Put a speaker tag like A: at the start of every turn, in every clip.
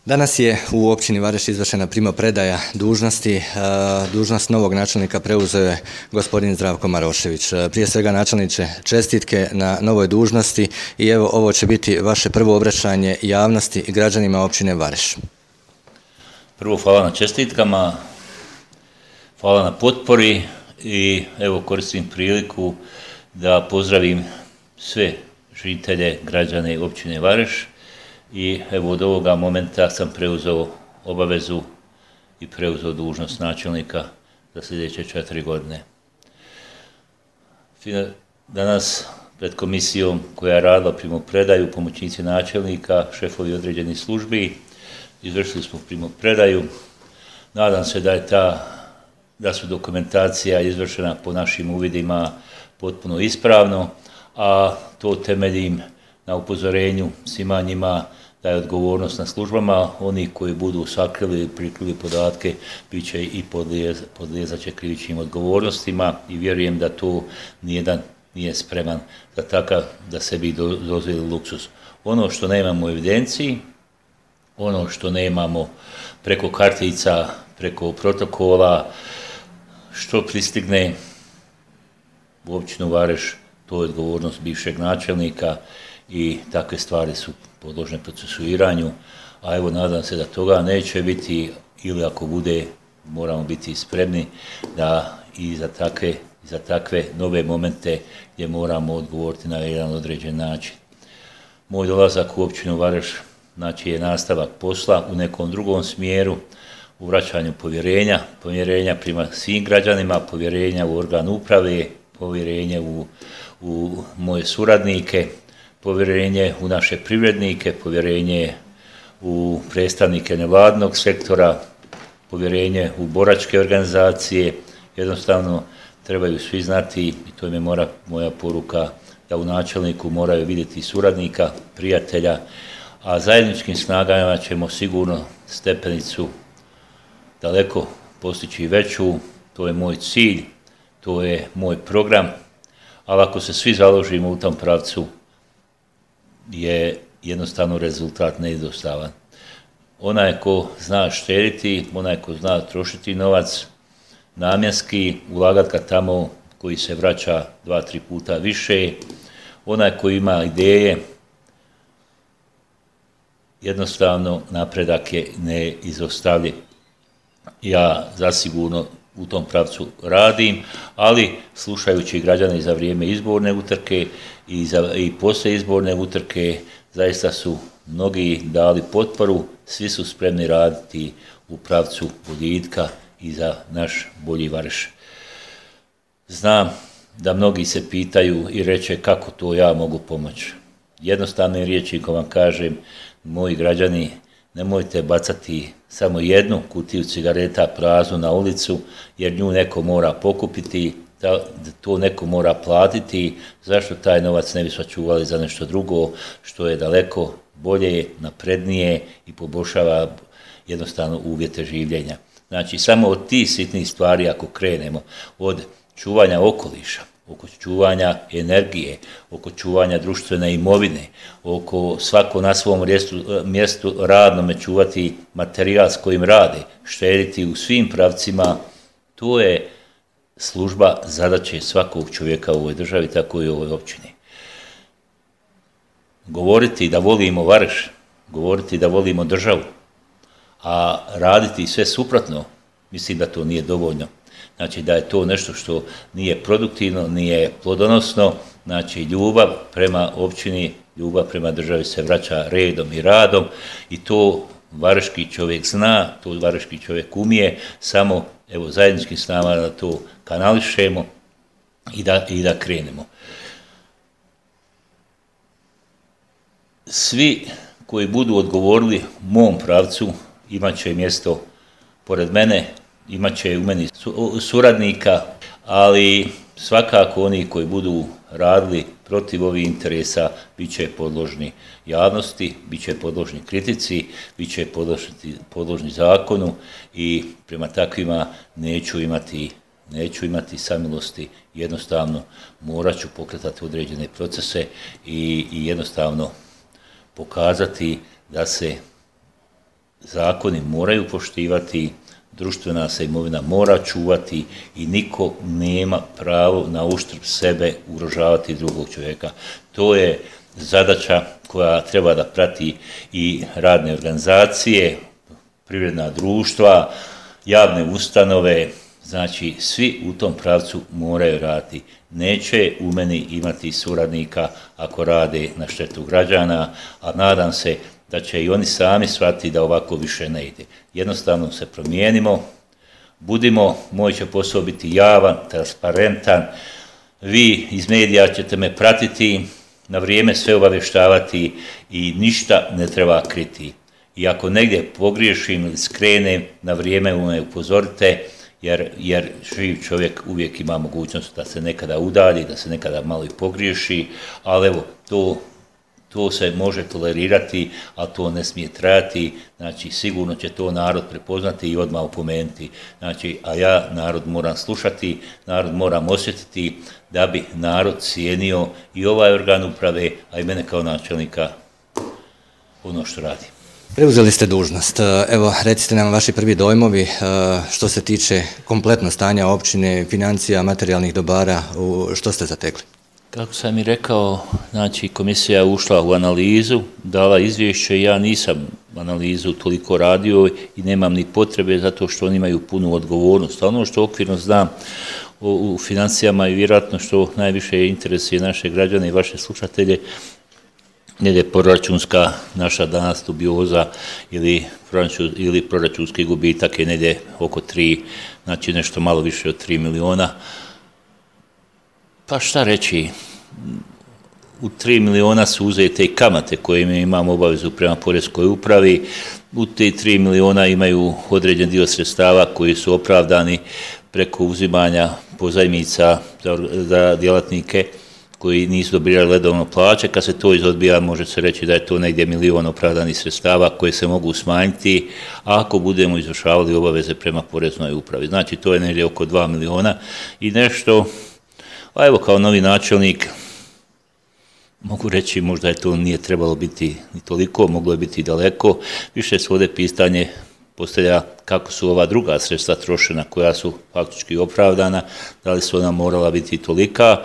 A: Danas je u općini Vareš izvršena primopredaja dužnosti. Dužnost novog načelnika preuzeo je gospodin Zdravko Marošević. Prije svega, načelniče, čestitke na novoj dužnosti i evo, ovo će biti vaše prvo obraćanje javnosti i građanima općine Vareš.
B: Prvo, hvala na čestitkama, hvala na potpori i evo koristim priliku da pozdravim sve žitelje, građane općine Vareš. I evo od ovoga momenta sam preuzeo obavezu i preuzeo dužnost načelnika za sljedeće 4 godine. Danas pred komisijom koja je radila primopredaju, pomoćnici načelnika, šefovi određenih službi, izvršili smo primopredaju. Nadam se da su dokumentacija izvršena po našim uvidima potpuno ispravno, a to temeljim na upozorenju svima njima da je odgovornost na službama. Oni koji budu sakrili ili prikrili podatke bit će i podlijezat će krivičnim odgovornostima i vjerujem da tu nijedan nije spreman za takav da sebi dozvoli luksuz. Ono što nemamo u evidenciji, ono što nemamo preko kartica, preko protokola, što pristigne u općinu Vareš, to je odgovornost bivšeg načelnika i takve stvari su podložne procesuiranju, a evo nadam se da toga neće biti ili ako bude moramo biti spremni da i za takve nove momente gdje moramo odgovoriti na jedan određen način. Moj dolazak u općinu Vareš znači je nastavak posla u nekom drugom smjeru, u vraćanju povjerenja prema svim građanima, povjerenja u organ uprave, povjerenje u moje suradnike, povjerenje u naše privrednike, povjerenje u predstavnike nevladnog sektora, povjerenje u boračke organizacije. Jednostavno trebaju svi znati, i to je moja poruka, da u načelniku moraju vidjeti suradnika, prijatelja, a zajedničkim snagama ćemo sigurno stepenicu daleko postići veću. To je moj cilj, to je moj program, ali ako se svi založimo u tom pravcu, je jednostavno rezultat neizostavan. Onaj ko zna štediti, onaj ko zna trošiti novac namjenski, ulagati ga tamo koji se vraća 2-3 puta više, onaj koji ima ideje, jednostavno napredak je neizostavljiv. Ja zasigurno u tom pravcu radim, ali slušajući građane za vrijeme izborne utrke i poslije izborne utrke, zaista su mnogi dali potporu, svi su spremni raditi u pravcu boljitka i za naš bolji Vareš. Znam da mnogi se pitaju i reče kako to ja mogu pomoći. Jednostavnim rječnikom vam kažem, moji građani, nemojte bacati samo jednu kutiju cigareta praznu na ulicu, jer nju neko mora pokupiti, to neko mora platiti. Zašto taj novac ne bi sačuvali za nešto drugo što je daleko bolje, naprednije i poboljšava jednostavno uvjete življenja. Znači, samo od tih sitnih stvari ako krenemo, od čuvanja okoliša, oko čuvanja energije, oko čuvanja društvene imovine, oko svako na svom mjestu radnome čuvati materijal s kojim rade, štediti u svim pravcima, to je služba zadaće svakog čovjeka u ovoj državi, tako i u ovoj općini. Govoriti da volimo Vareš, govoriti da volimo državu, a raditi sve suprotno, mislim da to nije dovoljno. Znači da je to nešto što nije produktivno, nije plodonosno. Znači ljubav prema općini, ljubav prema državi se vraća redom i radom i to vareški čovjek zna, to vareški čovjek umije, samo evo zajedničkim snagama da to kanališemo i da krenemo. Svi koji budu odgovorili mom pravcu imat će mjesto pored mene, imat će u meni suradnika, ali svakako oni koji budu radili protiv ovih interesa bit će podložni javnosti, bit će podložni kritici, bit će podložni zakonu i prema takvima neću imati samilosti. Jednostavno morat ću pokretati određene procese i jednostavno pokazati da se zakoni moraju poštivati, društvena se imovina mora čuvati i niko nema pravo na uštrb sebe ugrožavati drugog čovjeka. To je zadaća koja treba da prati i radne organizacije, privredna društva, javne ustanove, znači svi u tom pravcu moraju raditi. Neće u meni imati suradnika ako rade na štetu građana, a nadam se da će i oni sami shvatiti da ovako više ne ide. Jednostavno se promijenimo, budimo, moj će posao biti javan, transparentan, vi iz medija ćete me pratiti, na vrijeme sve obavještavati i ništa ne treba kriti. I ako negdje pogriješim ili skrenem, na vrijeme me upozorite, jer živ čovjek uvijek ima mogućnost da se nekada udalji, da se nekada malo i pogriješi, ali evo, to se može tolerirati, a to ne smije trajati, znači sigurno će to narod prepoznati i odmah opomenuti. Znači, a ja narod moram slušati, narod moram osjetiti da bi narod cijenio i ovaj organ uprave, a i mene kao načelnika ono što radi.
A: Preuzeli ste dužnost. Evo, recite nam vaši prvi dojmovi što se tiče kompletno stanja općine, financija, materijalnih dobara, što ste zatekli?
B: Kako sam i rekao, znači komisija je ušla u analizu, dala izvješće, ja nisam analizu toliko radio i nemam ni potrebe zato što oni imaju punu odgovornost. A ono što okvirno znam u financijama i vjerojatno što najviše interesuje naše građane i vaše slušatelje, proračunska naša danas dubioza ili proračunski gubitak je negdje oko 3, znači nešto malo više od 3 miliona. Pa šta reći, u 3 miliona su uzete i kamate koje mi imamo obavezu prema poreskoj upravi, u te 3 miliona imaju određen dio sredstava koji su opravdani preko uzimanja pozajmica za djelatnike koji nisu dobivali redovno plaće. Kad se to izodbija, može se reći da je to negdje milion opravdanih sredstava koje se mogu smanjiti ako budemo izvršavali obaveze prema poreznoj upravi. Znači, to je negdje oko 2 miliona i nešto. A evo, kao novi načelnik, mogu reći možda je to nije trebalo biti ni toliko, moglo je biti daleko. Više se ovdje pitanje postavlja kako su ova druga sredstva trošena koja su faktički opravdana, da li su ona morala biti tolika,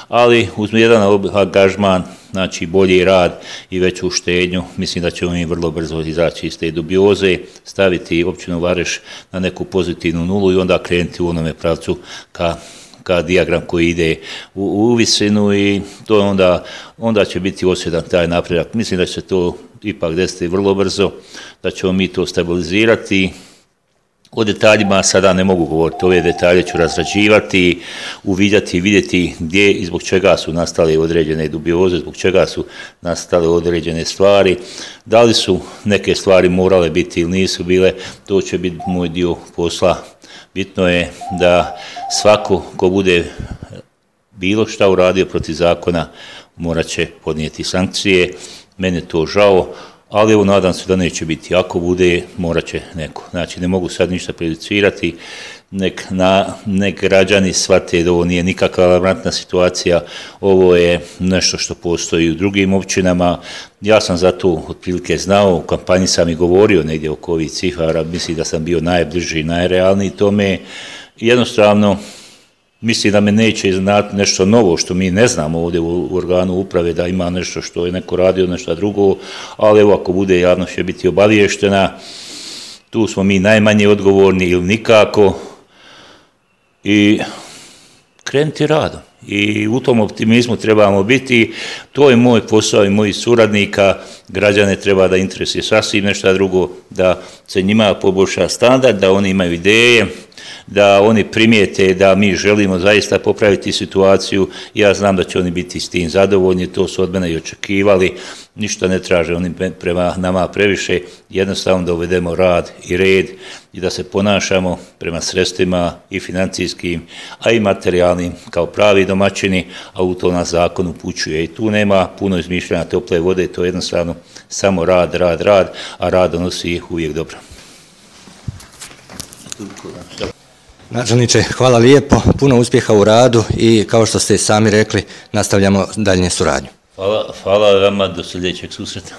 B: ali uz jedan angažman, znači bolji rad i veću štednju, mislim da ćemo mi vrlo brzo izaći iz te dubioze, staviti općinu Vareš na neku pozitivnu nulu i onda krenuti u onome pravcu ka dijagram koji ide u visinu i to onda će biti osjetan taj napredak. Mislim da će se to ipak desiti vrlo brzo, da ćemo mi to stabilizirati. O detaljima sada ne mogu govoriti, ove detalje ću razrađivati, uvidjeti i vidjeti gdje i zbog čega su nastale određene dubioze, zbog čega su nastale određene stvari, da li su neke stvari morale biti ili nisu bile, to će biti moj dio posla. Bitno je da svako ko bude bilo šta uradio protiv zakona morat će podnijeti sankcije. Meni je to žao, ali evo nadam se da neće biti. Ako bude, morat će neko. Znači ne mogu sad ništa prejudicirati, nek građani shvate da ovo nije nikakva alarmantna situacija, ovo je nešto što postoji u drugim općinama. Ja sam za to otprilike znao, u kampanji sam i govorio negdje oko ovih cifara, mislim da sam bio najbliži i najrealniji tome. Jednostavno, mislim da me neće iznenaditi nešto novo što mi ne znamo ovdje u organu uprave, da ima nešto što je neko radio, nešto drugo, ali evo ako bude, javnost će biti obaviještena. Tu smo mi najmanje odgovorni ili nikako i krenuti radom. I u tom optimizmu trebamo biti. To je moj posao i mojih suradnika. Građane treba da interesuje sasvim nešto drugo, da se njima poboljša standard, da oni imaju ideje, da oni primijete da mi želimo zaista popraviti situaciju. Ja znam da će oni biti s tim zadovoljni, to su od mene i očekivali. Ništa ne traže oni prema nama previše, jednostavno da uvedemo rad i red i da se ponašamo prema sredstvima i financijskim, a i materijalnim kao pravi domaćini, a u to nas zakon upućuje. I tu nema puno izmišljanja tople vode, to je jednostavno samo rad, a rad donosi uvijek dobro.
A: Načelniče, hvala lijepo, puno uspjeha u radu i kao što ste sami rekli, nastavljamo daljnje suradnju.
B: Hvala vama, do sljedećeg susreta.